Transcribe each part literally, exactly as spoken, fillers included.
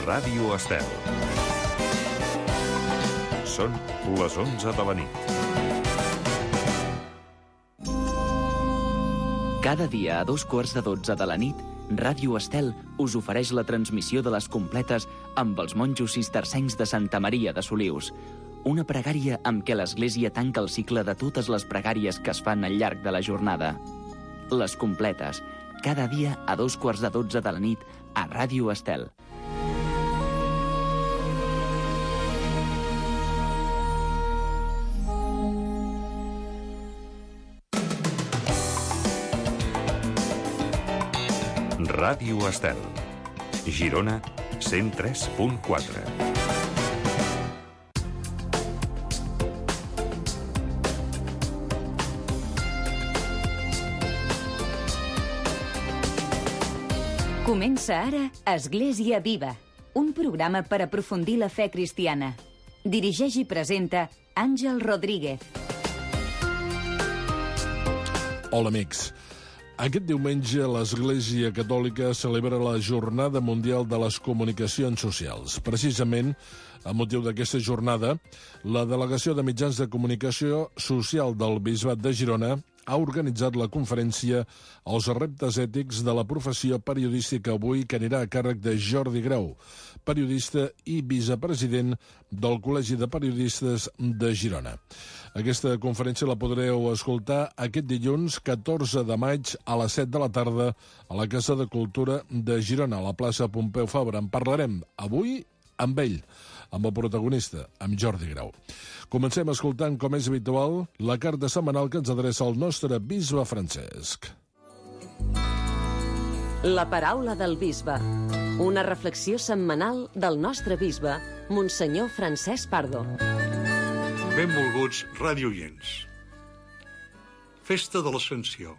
Ràdio Estel. Són les onze de la nit. Cada dia a dos quarts de dotze de la nit, Ràdio Estel us ofereix la transmissió de les completes amb els monjos cistercencs de Santa Maria de Solius. Una pregària amb què l'Església tanca el cicle de totes les pregàries que es fan al llarg de la jornada. Les completes, cada dia a dos quarts de dotze de la nit a Ràdio Estel. Ràdio Estel. Girona, cent tres punt quatre. Comença ara Església Viva, un programa per aprofundir la fe cristiana. Dirigeix i presenta Àngel Rodríguez. Hola, amics. Aquest diumenge l'Església Catòlica celebra la Jornada Mundial de les Comunicacions Socials. Precisament, a motiu d'aquesta jornada, la Delegació de Mitjans de Comunicació Social del Bisbat de Girona ha organitzat la conferència Els reptes ètics de la professió periodística avui, que anirà a càrrec de Jordi Grau, periodista i vicepresident del Col·legi de Periodistes de Girona. Aquesta conferència la podreu escoltar aquest dilluns catorze de maig a les set de la tarda a la Casa de Cultura de Girona, a la plaça Pompeu Fabra. En parlarem avui amb ell, amb el protagonista, amb Jordi Grau. Comencem escoltant, com és habitual, la carta setmanal que ens adreça el nostre bisbe Francesc. La paraula del bisbe. Una reflexió setmanal del nostre bisbe, Monsenyor Francesc Pardo. Benvolguts radioients. Festa de l'Ascensió.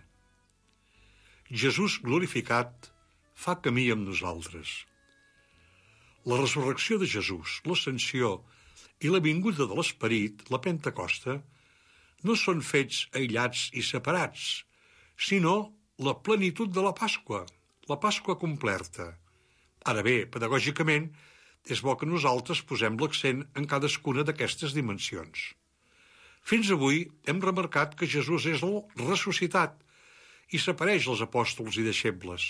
Jesús glorificat fa camí amb nosaltres. La resurrecció de Jesús, l'Ascensió i la vinguda de l'Esperit, la Pentecosta, no són fets aïllats i separats, sinó la plenitud de la Pasqua, la Pasqua completa. Ara bé, pedagògicament, és bo que nosaltres posem l'accent en cadascuna d'aquestes dimensions. Fins avui hem remarcat que Jesús és el ressuscitat i s'apareix als apòstols i deixebles.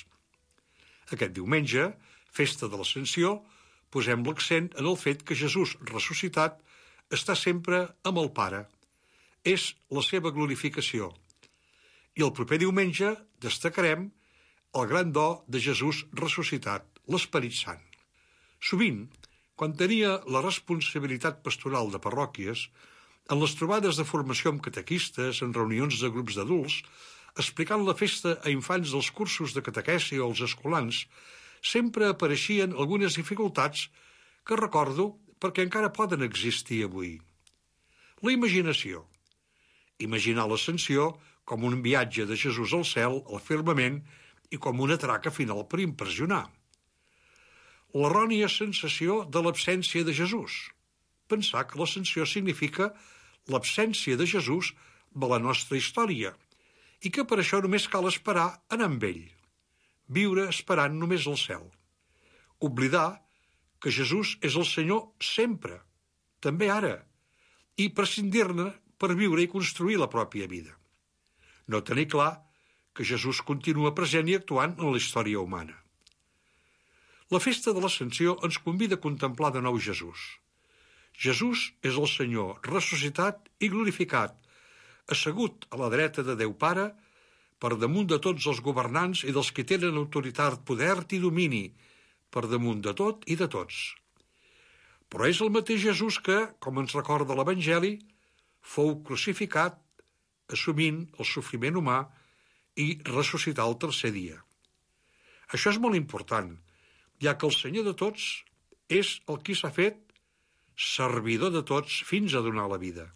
Aquest diumenge, festa de l'Ascensió, posem l'accent en el fet que Jesús ressuscitat està sempre amb el Pare. És la seva glorificació. I el proper diumenge destacarem el gran do de Jesús ressuscitat, l'Esperit Sant. Sovint, quan tenia la responsabilitat pastoral de parròquies, en les trobades de formació amb catequistes, en reunions de grups d'adults, explicant la festa a infants dels cursos de catequesi o als escolans, sempre apareixien algunes dificultats que recordo perquè encara poden existir avui. La imaginació. Imaginar l'ascensió com un viatge de Jesús al cel, al firmament, i com una traca final per impressionar. L'errònia sensació de l'absència de Jesús. Pensar que l'ascensió significa l'absència de Jesús de la nostra història i que per això només cal esperar anar amb ell. Viure esperant només el cel. Oblidar que Jesús és el Senyor sempre, també ara, i prescindir-ne per viure i construir la pròpia vida. No tenir clar que Jesús continua present i actuant en la història humana. La festa de l'Ascensió ens convida a contemplar de nou Jesús. Jesús és el Senyor ressuscitat i glorificat, assegut a la dreta de Déu Pare, per damunt de tots els governants i dels que tenen autoritat, poder i domini, per damunt de tot i de tots. Però és el mateix Jesús que, com ens recorda l'Evangeli, fou crucificat, assumint el sofriment humà i ressuscitar el tercer dia. Això és molt important, ja que el Senyor de tots és el qui s'ha fet servidor de tots fins a donar la vida.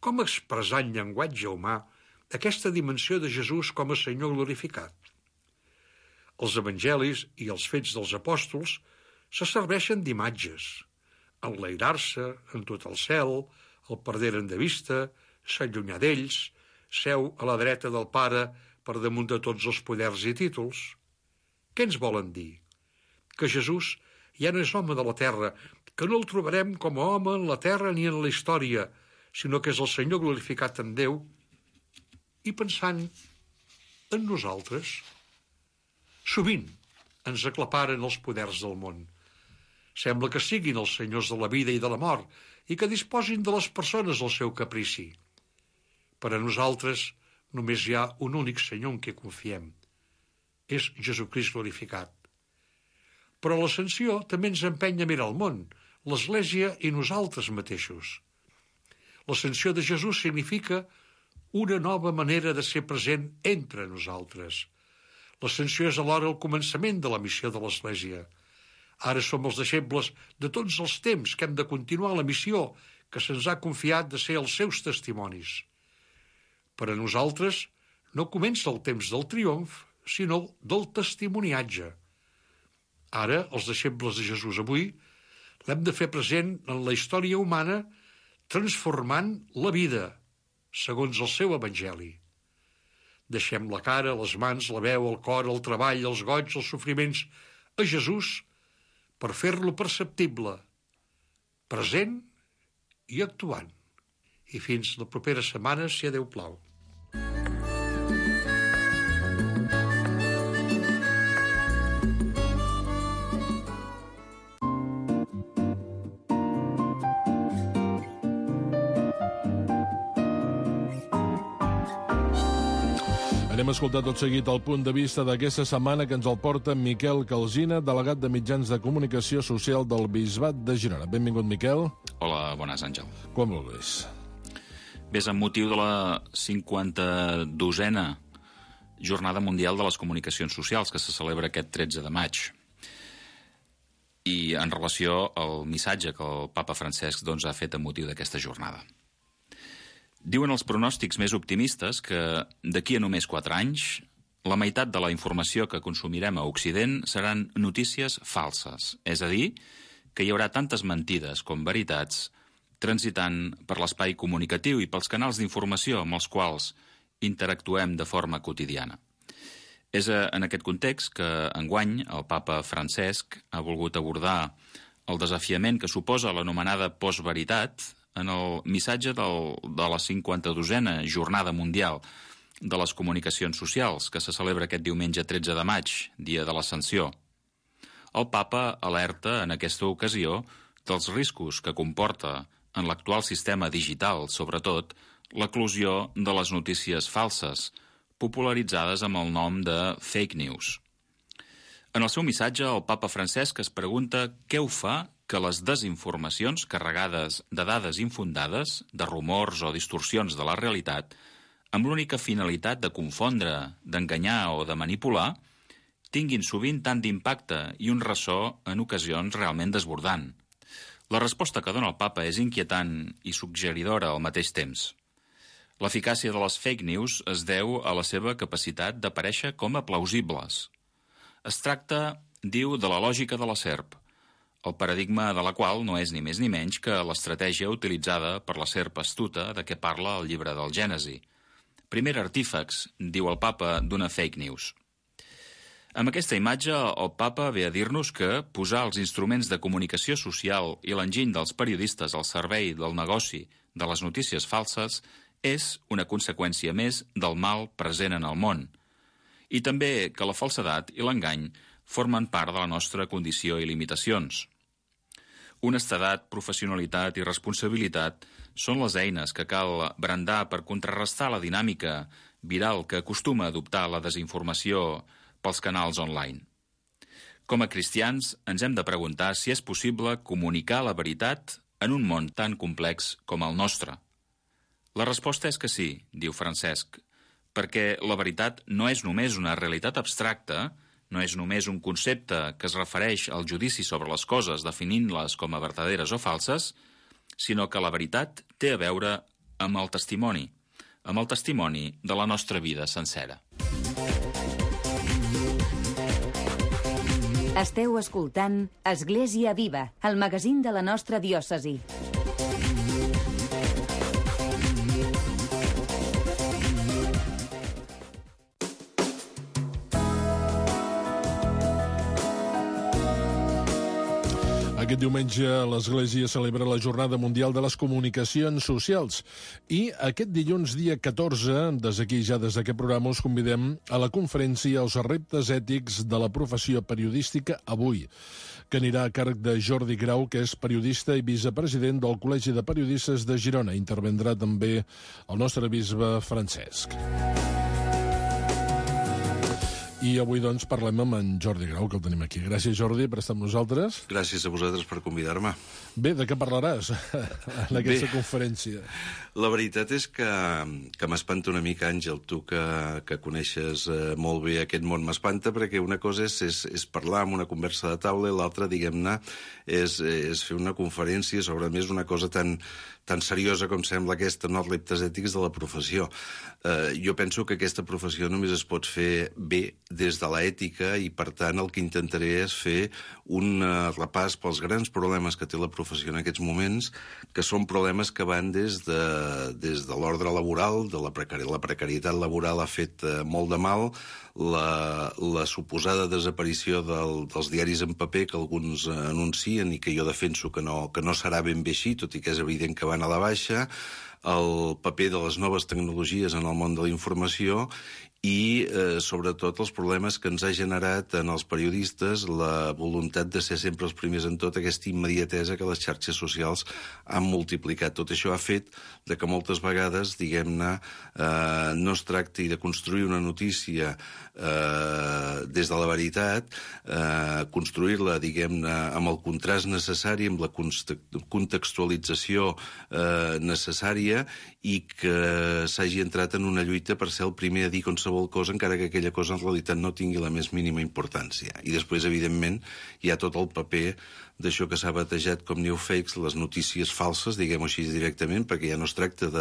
Com expressar en llenguatge humà aquesta dimensió de Jesús com a Senyor glorificat? Els evangelis i els fets dels apòstols se serveixen d'imatges. Enlairar-se en tot el cel, el perderen de vista, s'allunyar d'ells, seu a la dreta del Pare per damunt de tots els poders i títols. Què ens volen dir? Que Jesús ja no és home de la terra, que no el trobarem com a home en la terra ni en la història, sinó que és el Senyor glorificat en Déu, i pensant en nosaltres. Sovint ens aclaparen els poders del món. Sembla que siguin els senyors de la vida i de la mort i que disposin de les persones al seu caprici. Per a nosaltres només hi ha un únic senyor en què confiem. És Jesucrist glorificat. Però l'ascensió també ens empeny a mirar el món, l'Església i nosaltres mateixos. L'ascensió de Jesús significa una nova manera de ser present entre nosaltres. L'ascensió és alhora el començament de la missió de l'Església. Ara som els deixebles de tots els temps que hem de continuar la missió que se'ns ha confiat de ser els seus testimonis. Per a nosaltres no comença el temps del triomf, sinó del testimoniatge. Ara, els deixebles de Jesús avui, l'hem de fer present en la història humana, transformant la vida, segons el seu evangeli. Deixem la cara, les mans, la veu, el cor, el treball, els goig, els sofriments a Jesús per fer-lo perceptible, present i actuant. I fins la propera setmana, si a Déu plau. Anem a escoltar tot seguit el punt de vista d'aquesta setmana que ens el porta Miquel Calsina, delegat de Mitjans de Comunicació Social del Bisbat de Girona. Benvingut, Miquel. Hola, bones, Àngel. Com vulguis. Ves amb motiu de la cinquanta-dosena Jornada Mundial de les Comunicacions Socials, que se celebra aquest tretze de maig. I en relació al missatge que el papa Francesc doncs, ha fet amb motiu d'aquesta jornada. Diuen els pronòstics més optimistes que d'aquí a només quatre anys la meitat de la informació que consumirem a Occident seran notícies falses, és a dir, que hi haurà tantes mentides com veritats transitant per l'espai comunicatiu i pels canals d'informació amb els quals interactuem de forma quotidiana. És en aquest context que enguany el papa Francesc ha volgut abordar el desafiament que suposa l'anomenada postveritat en el missatge del, de la cinquanta-dosena Jornada Mundial de les Comunicacions Socials, que se celebra aquest diumenge tretze de maig, dia de l'Ascensió. El papa alerta en aquesta ocasió dels riscos que comporta en l'actual sistema digital, sobretot, l'eclosió de les notícies falses, popularitzades amb el nom de fake news. En el seu missatge, el papa Francesc es pregunta què ho fa que les desinformacions carregades de dades infundades, de rumors o distorsions de la realitat, amb l'única finalitat de confondre, d'enganyar o de manipular, tinguin sovint tant d'impacte i un ressò en ocasions realment desbordant. La resposta que dona el papa és inquietant i suggeridora al mateix temps. L'eficàcia de les fake news es deu a la seva capacitat d'aparèixer com a plausibles. Es tracta, diu, de la lògica de la serp, el paradigma de la qual no és ni més ni menys que l'estratègia utilitzada per la serp astuta de què parla el llibre del Gènesi. Primer artífex, diu el papa, d'una fake news. Amb aquesta imatge, el papa ve a dir-nos que posar els instruments de comunicació social i l'enginy dels periodistes al servei del negoci de les notícies falses és una conseqüència més del mal present en el món, i també que la falsedat i l'engany formen part de la nostra condició i limitacions. Honestedat, professionalitat i responsabilitat són les eines que cal brandar per contrarrestar la dinàmica viral que acostuma a adoptar la desinformació pels canals online. Com a cristians, ens hem de preguntar si és possible comunicar la veritat en un món tan complex com el nostre. La resposta és que sí, diu Francesc, perquè la veritat no és només una realitat abstracta, no és només un concepte que es refereix al judici sobre les coses definint-les com a verdaderes o falses, sinó que la veritat té a veure amb el testimoni, amb el testimoni de la nostra vida sencera. Esteu escoltant Església Viva, el magazín de la nostra diòcesi. Aquest diumenge l'Església celebra la Jornada Mundial de les Comunicacions Socials i aquest dilluns, dia catorze, des d'aquí ja des d'aquest programa us convidem a la conferència Els reptes ètics de la professió periodística avui, que anirà a càrrec de Jordi Grau, que és periodista i vicepresident del Col·legi de Periodistes de Girona. Intervendrà també el nostre bisbe Francesc. I avui, doncs, parlem amb en Jordi Grau, que el tenim aquí. Gràcies, Jordi, per estar amb nosaltres. Gràcies a vosaltres per convidar-me. Bé, de què parlaràs en aquesta Bé, conferència? La veritat és que, que m'espanta una mica, Àngel, tu que, que coneixes eh, molt bé aquest món, m'espanta perquè una cosa és, és, és parlar amb una conversa de taula i l'altra, diguem-ne, és, és fer una conferència sobre, a més, una cosa tan, tan seriosa com sembla aquesta, no? Els reptes ètics de la professió. Eh, jo penso que aquesta professió només es pot fer bé des de l'ètica i, per tant, el que intentaré és fer un uh, repàs pels grans problemes que té la professió en aquests moments, que són problemes que van des de, des de l'ordre laboral, de la, precari la precarietat laboral ha fet uh, molt de mal, la, la suposada desaparició del, dels diaris en paper que alguns uh, anuncien i que jo defenso que no, que no serà ben bé així, tot i que és evident que van a la baixa, el paper de les noves tecnologies en el món de la informació i, eh, sobretot, els problemes que ens ha generat en els periodistes la voluntat de ser sempre els primers en tot, aquesta immediatesa que les xarxes socials han multiplicat. Tot això ha fet de que moltes vegades, diguem-ne, eh, no es tracti de construir una notícia eh, des de la veritat, eh, construir-la, diguem-ne, amb el contrast necessari, amb la contextualització eh, necessària i que s'hagi entrat en una lluita per ser el primer a dir qualsevol cosa, encara que aquella cosa en realitat no tingui la més mínima importància. I després, evidentment, hi ha tot el paper d'això que s'ha batejat com newfakes, les notícies falses, diguem-ho així directament, perquè ja no es tracta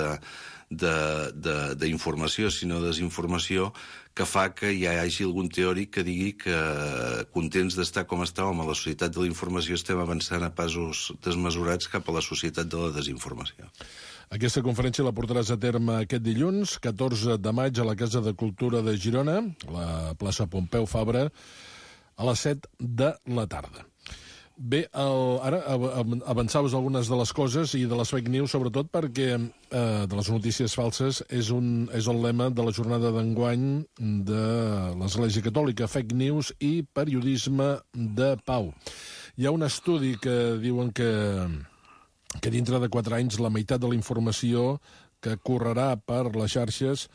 d'informació, sinó desinformació, que fa que hi hagi algun teòric que digui que, contents d'estar com estàvem a la societat de la informació, estem avançant a passos desmesurats cap a la societat de la desinformació. Aquesta conferència la portaràs a terme aquest dilluns, catorze de maig, a la Casa de Cultura de Girona, a la plaça Pompeu Fabra, a les set de la tarda. Bé, el, ara avançaves algunes de les coses i de les fake news, sobretot perquè eh, de les notícies falses és, un, és el lema de la jornada d'enguany de l'Església Catòlica, fake news i periodisme de pau. Hi ha un estudi que diuen que... que dintre de quatre anys la meitat de la informació que correrà per les xarxes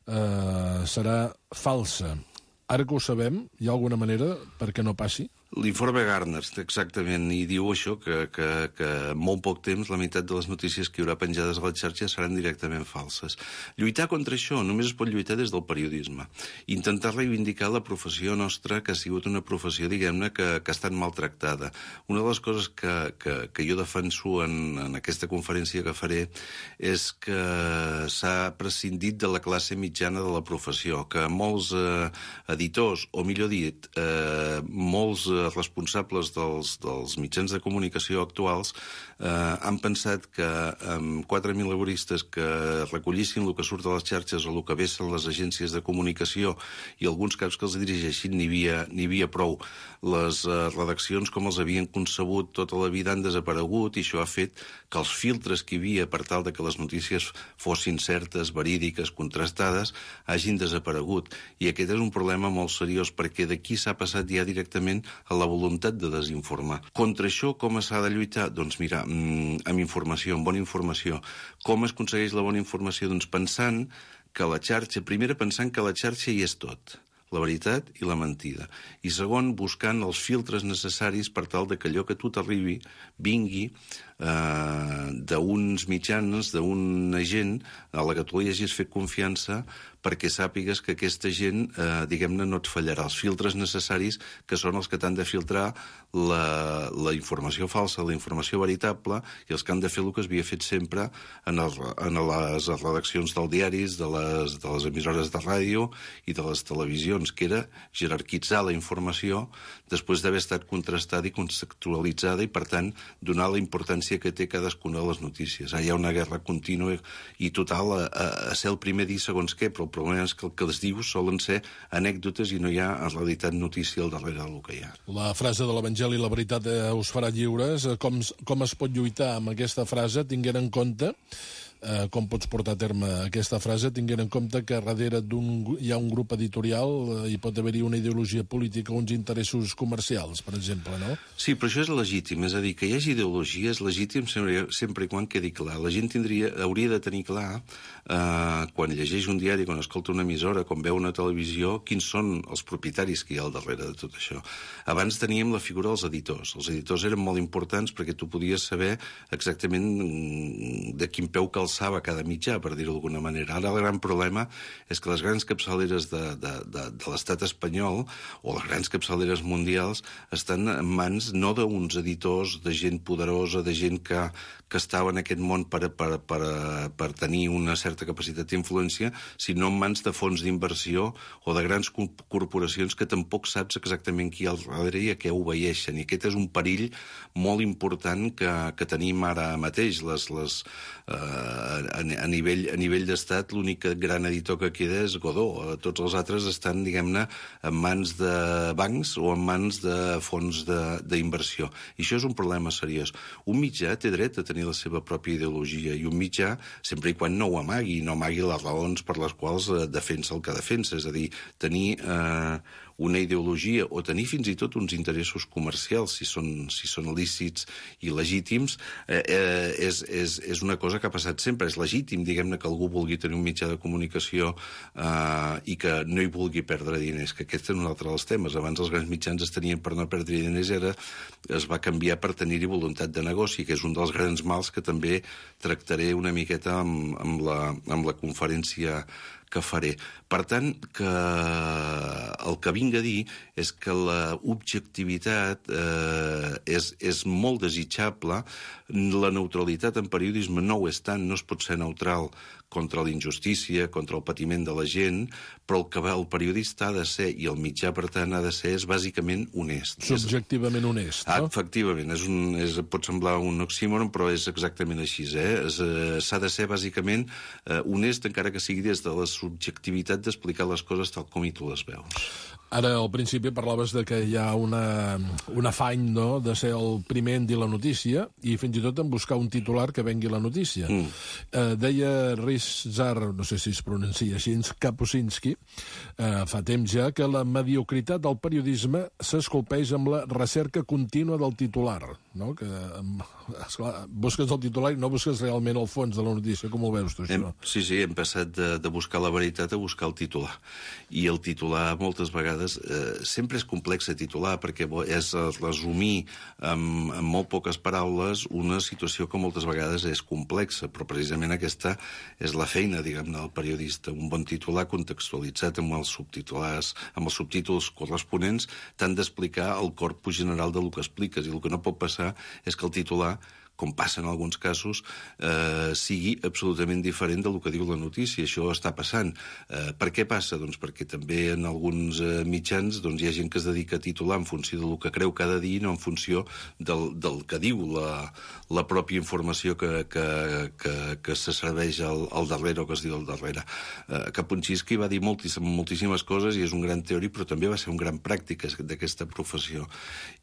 eh, serà falsa. Ara que ho sabem, hi ha alguna manera perquè no passi? L'informe Gartner, exactament, i diu això, que, que, que en molt poc temps la meitat de les notícies que hi haurà penjades a les xarxes seran directament falses. Lluitar contra això només es pot lluitar des del periodisme. Intentar reivindicar la professió nostra, que ha sigut una professió, diguem-ne, que, que ha estat maltractada. Una de les coses que, que, que jo defenso en, en aquesta conferència que faré és que s'ha prescindit de la classe mitjana de la professió, que molts eh, editors, o millor dit, eh, molts eh, responsables dels, dels mitjans de comunicació actuals eh, han pensat que amb quatre mil laboristes que recollissin el que surt a les xarxes o el que vessen les agències de comunicació i alguns caps que els dirigeixin n'hi havia, n'hi havia prou. Les eh, redaccions com els havien concebut tota la vida han desaparegut i això ha fet que els filtres que hi havia per tal de que les notícies fossin certes, verídiques, contrastades, hagin desaparegut. I aquest és un problema molt seriós perquè d'aquí s'ha passat ja directament a la voluntat de desinformar. Contra això, com s'ha de lluitar? Doncs mira, amb informació, amb bona informació. Com es aconsegueix la bona informació? Doncs pensant que la xarxa, primera pensant que la xarxa hi és tot, la veritat i la mentida. I segon, buscant els filtres necessaris per tal de que allò que tu t'arribi vingui eh, d'uns mitjans, d'una gent a la que tu li hagis fet confiança perquè sàpigues que aquesta gent, eh, diguem-ne, no et fallarà. Els filtres necessaris que són els que t'han de filtrar la, la informació falsa, la informació veritable, i els que han de fer el que s'havia fet sempre en, el, en les redaccions dels diaris, de les, de les emissores de ràdio i de les televisions, que era jerarquitzar la informació després d'haver estat contrastada i contextualitzada i, per tant, donar la importància importància que té cadascuna de les notícies. Ara hi ha una guerra contínua i total a, a, a ser el primer dir segons què, però el problema és que el que es diu solen ser anècdotes i no hi ha, en realitat, notícia al darrere del que hi ha. La frase de l'Evangeli, la veritat eh, us farà lliures. Com, com es pot lluitar amb aquesta frase, tinguent en compte Eh, com pots portar a terme aquesta frase, tinguent en compte que darrere d'un, hi ha un grup editorial, eh, hi pot haver-hi una ideologia política, uns interessos comercials, per exemple, no? Sí, però això és legítim, és a dir, que hi hagi ideologia és legítim sempre, sempre i quan quedi clar. La gent tindria, hauria de tenir clar, eh, quan llegeix un diari, quan escolta una emissora, quan veu una televisió, quins són els propietaris que hi ha al darrere de tot això. Abans teníem la figura dels editors. Els editors eren molt importants perquè tu podies saber exactament de quin peu calçava cada mitjà, per dir-ho d'alguna manera. Ara el gran problema és que les grans capçaleres de, de, de, de l'estat espanyol o les grans capçaleres mundials estan en mans no d'uns editors, de gent poderosa, de gent que, que estava en aquest món per, per, per, per tenir una certa capacitat d'influència, sinó en mans de fons d'inversió o de grans corporacions que tampoc saps exactament qui hi ha al darrere i a què obeeixen. I aquest és un perill molt important que, que tenim ara mateix. Les, les, eh, a, a nivell, a nivell d'estat, l'únic gran editor que queda és Godó. Tots els altres estan, diguem-ne, en mans de bancs o en mans de fons d'inversió. I això és un problema seriós. Un mitjà té dret a tenir la seva pròpia ideologia i un mitjà, sempre i quan no ho amagui, no amagui les raons per les quals defensa el que defensa. És a dir, tenir eh, una ideologia o tenir fins i tot uns interessos comercials, si són, si són lícits i legítims, eh, eh, és, és, és una cosa que ha passat sempre. És legítim, diguem-ne, que algú vulgui tenir un mitjà de comunicació eh, i que no hi vulgui perdre diners, que aquest és un altre dels temes. Abans els grans mitjans es tenien per no perdre diners i ara es va canviar per tenir-hi voluntat de negoci, que és un dels grans mals que també tractaré una miqueta amb, amb, la, amb la conferència que faré. Per tant, que el que vinc a dir és que la objectivitat eh, és, és molt desitjable, la neutralitat en periodisme no ho és tant, no es pot ser neutral contra la injustícia, contra el patiment de la gent, però el que el periodista ha de ser, i el mitjà, per tant, ha de ser, és bàsicament honest. Subjectivament honest, no? Ah, efectivament, és un, és, pot semblar un oxímoron, però és exactament així. Eh? S'ha de ser, bàsicament, eh, honest, encara que sigui des de la subjectivitat d'explicar les coses tal com i tu les veus. Ara, al principi, parlaves de que hi ha una, un afany, no?, de ser el primer en dir la notícia i fins i tot en buscar un titular que vengui la notícia. Mm. Eh, deia Ryszard, no sé si es pronuncia així, Kapuscinski, eh, fa temps ja, que la mediocritat del periodisme s'esculpeix amb la recerca contínua del titular, no?, que, esclar, busques el titular i no busques realment el fons de la notícia. Com ho veus tu, això? Hem, sí, sí, hem passat de, de buscar la veritat a buscar el titular. I el titular, moltes vegades, Eh, sempre és complex a titular perquè és resumir amb, amb molt poques paraules una situació que moltes vegades és complexa, però precisament aquesta és la feina, diguem-ne, del periodista. Un bon titular contextualitzat amb els subtitulars, amb els subtítols corresponents, t'han d'explicar el corpus general del que expliques, i el que no pot passar és que el titular, com passa en alguns casos, eh, sigui absolutament diferent del que diu la notícia. Això està passant. Eh, per què passa? Doncs perquè també en alguns eh, mitjans doncs, hi ha gent que es dedica a titular en funció del que creu cada dia, no en funció del, del que diu la, la pròpia informació que, que, que, que se serveix al, al darrere o que es diu al darrere. Eh, Kapuscinski va dir moltíssimes, moltíssimes coses i és un gran teòric, però també va ser un gran pràctic d'aquesta professió.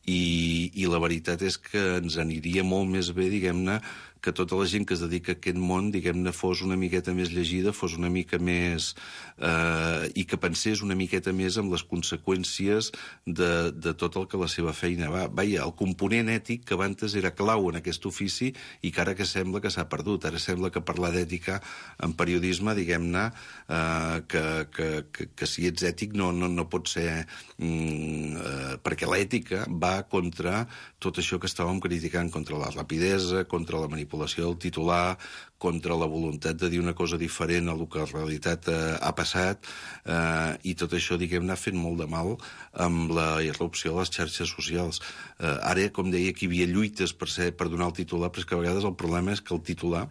I, i la veritat és que ens aniria molt més bé, diguem-ne, que tota la gent que es dedica a aquest món, diguem-ne, fos una miqueta més llegida, fos una mica més... Eh, i que pensés una miqueta més en les conseqüències de, de tot el que la seva feina va. Vaja, el component ètic que abans era clau en aquest ofici i que ara que sembla que s'ha perdut. Ara sembla que parlar d'ètica en periodisme, diguem-ne, eh, que, que, que, que si ets ètic no, no, no pot ser... Mm, eh, perquè l'ètica va contra tot això que estàvem criticant, contra la rapidesa, contra la manipulació del titular, contra la voluntat de dir una cosa diferent a el que en realitat eh, ha passat, eh, i tot això, diguem-ne, ha fet molt de mal amb la irrupció de les xarxes socials. Eh, ara, com deia, que hi havia lluites per, ser, per donar el titular, però és que a vegades el problema és que el titular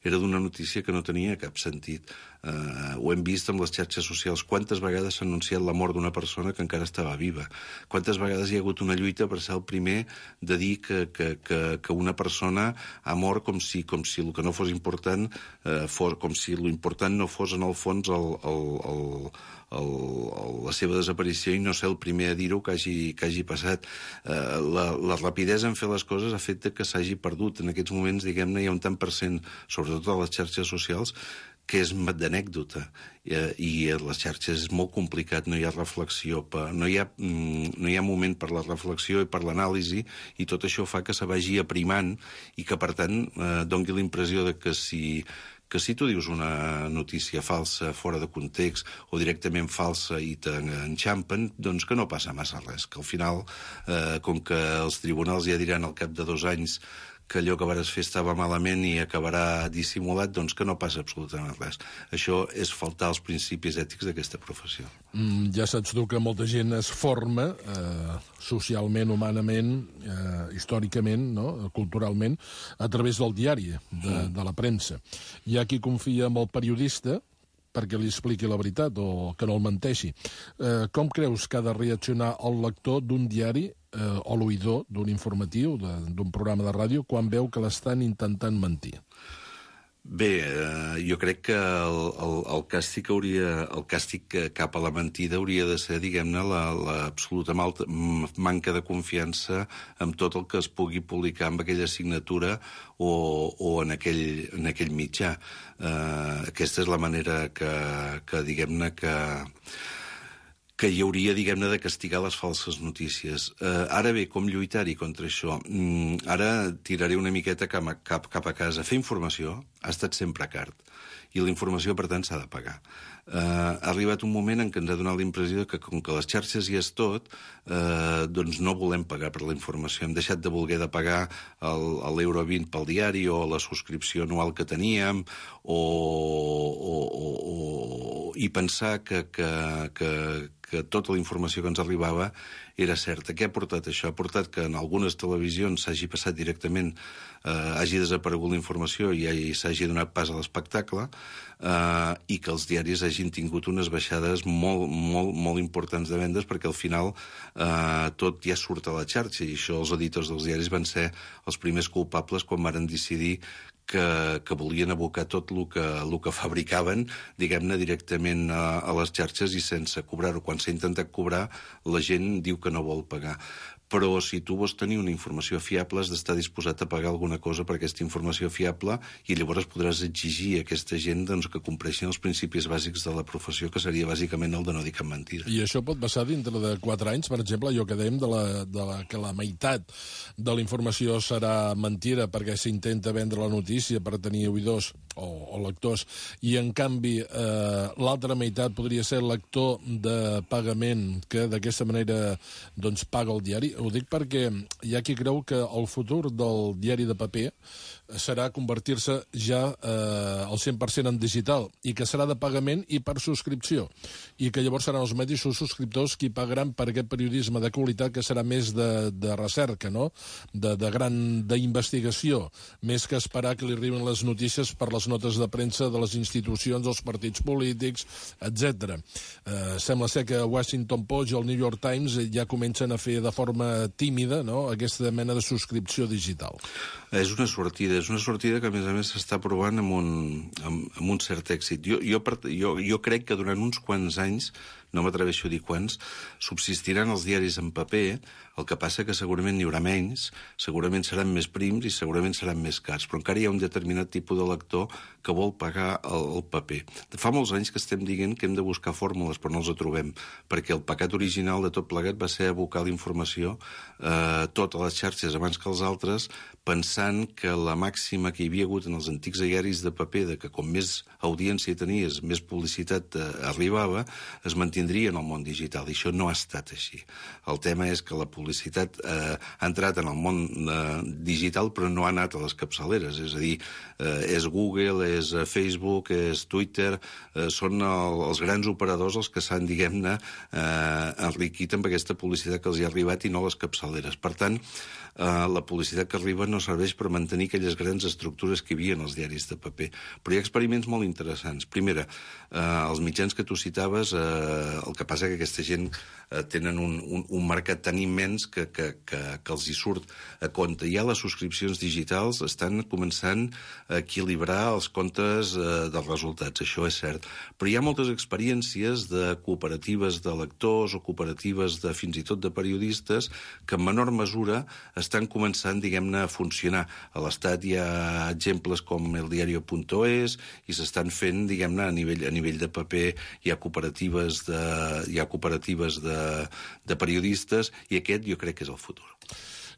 era d'una notícia que no tenia cap sentit. Uh, ho hem vist amb les xarxes socials. Quantes vegades s'ha anunciat la mort d'una persona que encara estava viva? Quantes vegades hi ha hagut una lluita per ser el primer de dir que, que, que, que una persona ha mort com si, com si el que no fos important, uh, fos, com si l'important no fos en el fons el, el, el, el, el, la seva desaparició i no ser el primer a dir-ho que hagi, que hagi passat. Uh, la, la rapidesa en fer les coses ha fet que s'hagi perdut. En aquests moments, diguem-ne, hi ha un tant per cent, sobretot a les xarxes socials, que és d'anècdota, i, i les xarxes és molt complicat, no hi ha reflexió, no hi ha, no hi ha moment per la reflexió i per l'anàlisi, i tot això fa que se vagi aprimant i que, per tant, eh, doni la impressió de que si, que si tu dius una notícia falsa, fora de context, o directament falsa i t'enxampen, doncs que no passa massa res, que al final, eh, com que els tribunals ja diran al cap de dos anys que allò que vares fer estava malament i acabarà dissimulat, doncs que no passa absolutament res. Això és faltar als principis ètics d'aquesta professió. Mm, ja saps tu que molta gent es forma eh, socialment, humanament, eh, històricament, no? Culturalment, a través del diari, de, de la premsa. Hi ha qui confia en el periodista perquè li expliqui la veritat o que no el menteixi. Eh, com creus que ha de reaccionar el lector d'un diari eh, o l'oïdor d'un informatiu, d'un programa de ràdio, quan veu que l'estan intentant mentir? Bé, eh, jo crec que el, el, el càstig hauria, el càstig cap a la mentida hauria de ser, diguem-ne, l'absoluta la, manca de confiança amb tot el que es pugui publicar amb aquella assignatura o, o en, aquell, en aquell mitjà. Eh, aquesta és la manera que, que diguem-ne, que... que hi hauria, diguem-ne, de castigar les falses notícies. Eh, ara bé, com lluitar-hi contra això? Mm, ara tiraré una miqueta cap, cap, cap a casa. Fer informació ha estat sempre car, i la informació, per tant, s'ha de pagar. Eh, ha arribat un moment en què ens ha donat la impressió que, com que les xarxes hi és tot, eh, doncs no volem pagar per la informació. Hem deixat de voler de pagar l'euro vint pel diari o la subscripció anual que teníem, o, o, o, o, i pensar que, que, que, que tota la informació que ens arribava era certa. Què ha portat això? Ha portat que en algunes televisions s'hagi passat directament, eh, hagi desaparegut la informació i, i s'hagi donat pas a l'espectacle, eh, i que els diaris hagin tingut unes baixades molt, molt, molt importants de vendes, perquè al final eh, tot ja surt a la xarxa, i això els editors dels diaris van ser els primers culpables quan varen decidir que, que volien abocar tot el que, el que fabricaven, diguem-ne, directament a, a les xarxes i sense cobrar-ho. Quan s'ha intentat cobrar, la gent diu que no vol pagar. Però si tu vols tenir una informació fiable, has d'estar disposat a pagar alguna cosa per aquesta informació fiable, i llavors podràs exigir a aquesta gent, doncs, que compleixin els principis bàsics de la professió, que seria bàsicament el de no dir cap mentida. I això pot passar dintre de quatre anys, per exemple, allò que dèiem de la, de la, que la meitat de la informació serà mentida perquè s'intenta vendre la notícia per tenir oïdors o, o lectors, i en canvi eh, l'altra meitat podria ser lector de pagament que d'aquesta manera doncs, paga el diari. Ho dic perquè hi ha qui creu que el futur del diari de paper serà convertir-se ja eh, al cent per cent en digital, i que serà de pagament i per subscripció, i que llavors seran els mateixos subscriptors qui pagaran per aquest periodisme de qualitat, que serà més de, de recerca, no? de, de gran d'investigació, més que esperar que li arribin les notícies per les notes de premsa de les institucions, dels partits polítics, etcètera. Eh, sembla ser que Washington Post i el New York Times ja comencen a fer de forma tímida, no?, aquesta mena de subscripció digital. És una sortida, és una sortida que, a més a més, s'està provant amb un, amb, amb un cert èxit. Jo, jo, jo, jo crec que durant uns quants anys, no m'atreveixo a dir quants, subsistiran els diaris en paper. El que passa que segurament n'hi haurà menys, segurament seran més prims i segurament seran més cars, però encara hi ha un determinat tipus de lector que vol pagar el, el paper. Fa molts anys que estem dient que hem de buscar fórmules, però no els trobem, perquè el pecat original de tot plegat va ser abocar la informació eh, totes les xarxes abans que els altres, pensant que la màxima que hi havia hagut en els antics diaris de paper, de que com més audiència tenies, més publicitat eh, arribava, es mantingués mantindria en el món digital, i això no ha estat així. El tema és que la publicitat eh, ha entrat en el món eh, digital, però no ha anat a les capçaleres, és a dir, eh, és Google, és Facebook, és Twitter, eh, són el, els grans operadors els que s'han, diguem-ne, eh, enriquit amb aquesta publicitat que els hi ha arribat i no les capçaleres. Per tant, Uh, la publicitat que arriba no serveix per mantenir aquelles grans estructures que hi havia en els diaris de paper. Però hi ha experiments molt interessants. Primera, uh, els mitjans que tu citaves, uh, el que passa que aquesta gent uh, tenen un, un, un mercat tan immens que, que, que, que els hi surt a compte. Ja les subscripcions digitals estan començant a equilibrar els comptes uh, dels resultats, això és cert. Però hi ha moltes experiències de cooperatives de lectors o cooperatives de fins i tot de periodistes que en menor mesura estan començant, diguem-ne, a funcionar. A l'Estat hi ha exemples com el diario punto es i s'estan fent, diguem-ne, a nivell, a nivell de paper. Hi ha cooperatives de, hi ha cooperatives de, de periodistes i aquest jo crec que és el futur.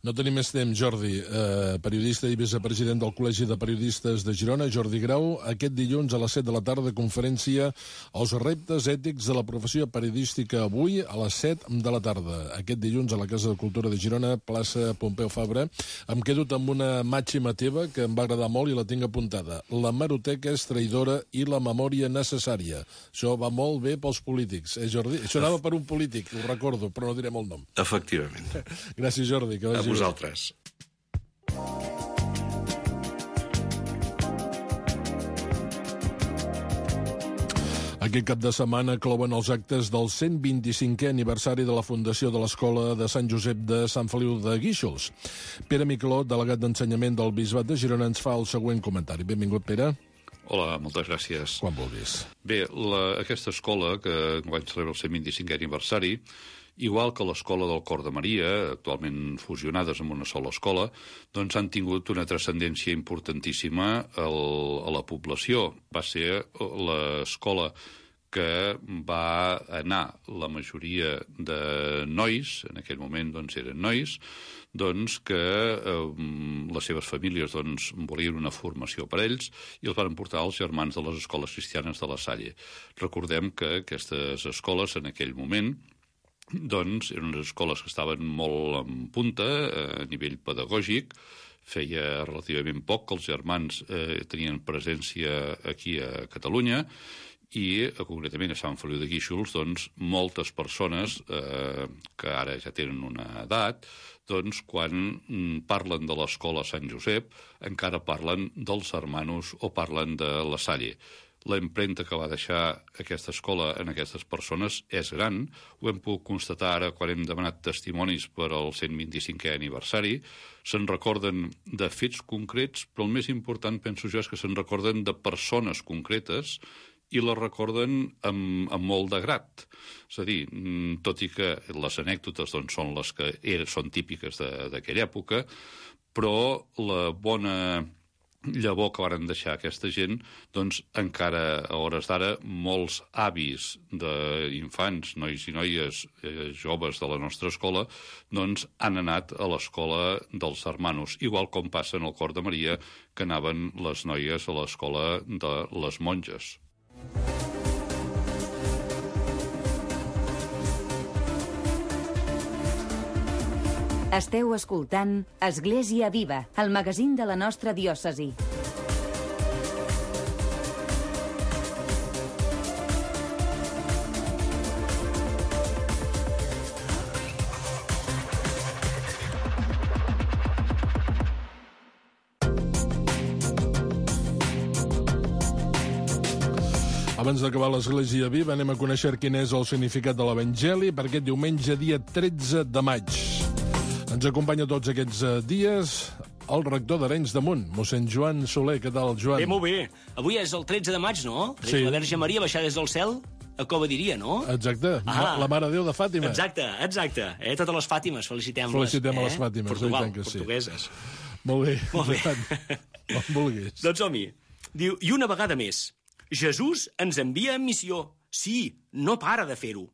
No tenim més temps, Jordi. Eh, periodista i vicepresident del Col·legi de Periodistes de Girona, Jordi Grau, aquest dilluns a les set de la tarda, conferència Els reptes ètics de la professió periodística, avui a les set de la tarda. Aquest dilluns a la Casa de Cultura de Girona, plaça Pompeu Fabra. Em quedo amb una màxima teva que em va agradar molt i la tinc apuntada. La hemeroteca és traïdora i la memòria necessària. Això va molt bé pels polítics, eh, Jordi? Això anava per un polític, ho recordo, però no direm el nom. Efectivament. Gràcies, Jordi, que vagi. A vosaltres. Aquest cap de setmana clouen els actes del cent vint-i-cinquè aniversari de la fundació de l'Escola de Sant Josep de Sant Feliu de Guíxols. Pere Miquelot, delegat d'ensenyament del Bisbat de Girona, ens fa el següent comentari. Benvingut, Pere. Hola, moltes gràcies. Quan vulguis. Bé, la, aquesta escola, que enguany celebra el cent vint-i-cinquè aniversari, igual que l'escola del Cor de Maria, actualment fusionades en una sola escola, doncs han tingut una transcendència importantíssima al, a la població. Va ser l'escola que va anar la majoria de nois, en aquell moment doncs eren nois, doncs que eh, les seves famílies doncs, volien una formació per ells i els van portar els germans de les escoles cristianes de la Salle. Recordem que aquestes escoles en aquell moment doncs eren unes escoles que estaven molt en punta a nivell pedagògic. Feia relativament poc que els germans eh, tenien presència aquí a Catalunya i, concretament, a Sant Feliu de Guíxols, doncs, moltes persones eh, que ara ja tenen una edat, doncs, quan parlen de l'escola Sant Josep, encara parlen dels hermanos o parlen de la Salle. La empremta que va deixar aquesta escola en aquestes persones és gran. Ho hem pogut constatar ara quan hem demanat testimonis per al cent vint-i-cinquè aniversari. Se'n recorden de fets concrets, però el més important, penso jo, és que se'n recorden de persones concretes i les recorden amb, amb molt de grat. És a dir, tot i que les anècdotes doncs, són les que eren, són típiques d'aquella època, però la bona llavor que varen deixar aquesta gent, doncs encara a hores d'ara molts avis d'infants, nois i noies eh, joves de la nostra escola, doncs han anat a l'escola dels hermanos, igual com passa en el Cor de Maria, que anaven les noies a l'escola de les monges. Esteu escoltant Església Viva, el magazín de la nostra diòcesi. Abans d'acabar l'Església Viva, anem a conèixer quin és el significat de l'Evangeli per aquest diumenge, dia tretze de maig. Ens acompanya tots aquests dies el rector d'Arenys de Munt, mossèn Joan Soler. Què tal, Joan? Bé, molt bé. Avui és el tretze de maig, no? Sí. La Verge Maria baixar des del cel a Cova diria, no? Exacte. Ah, la Mare de Déu de Fàtima. Exacte, exacte. Eh? Totes les Fàtimes, felicitem-les. Felicitem eh? a les Fàtimes. Portugal, que sí. portugueses. Molt bé. Molt bé. Com vulguis. Doncs som-hi. Diu, i una vegada més, Jesús ens envia en missió. Sí, no para de fer-ho.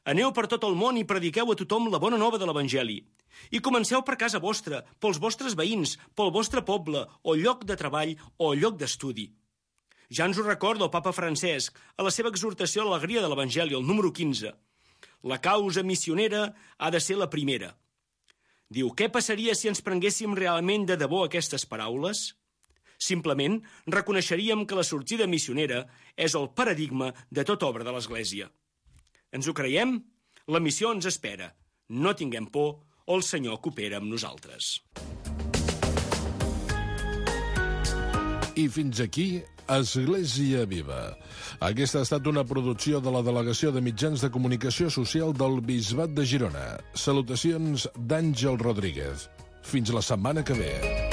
Aneu per tot el món i prediqueu a tothom la bona nova de l'Evangeli. I comenceu per casa vostra, pels vostres veïns, pel vostre poble, o lloc de treball, o lloc d'estudi. Ja ens ho recorda el papa Francesc a la seva exhortació a l'alegria de l'Evangeli, el número quinze. La causa missionera ha de ser la primera. Diu, què passaria si ens prenguéssim realment de debò aquestes paraules? Simplement reconeixeríem que la sortida missionera és el paradigma de tota obra de l'Església. Ens ho creiem? La missió ens espera. No tinguem por, o el Senyor coopera amb nosaltres. I fins aquí, Església Viva. Aquesta ha estat una producció de la Delegació de Mitjans de Comunicació Social del Bisbat de Girona. Salutacions d'Àngel Rodríguez. Fins la setmana que ve.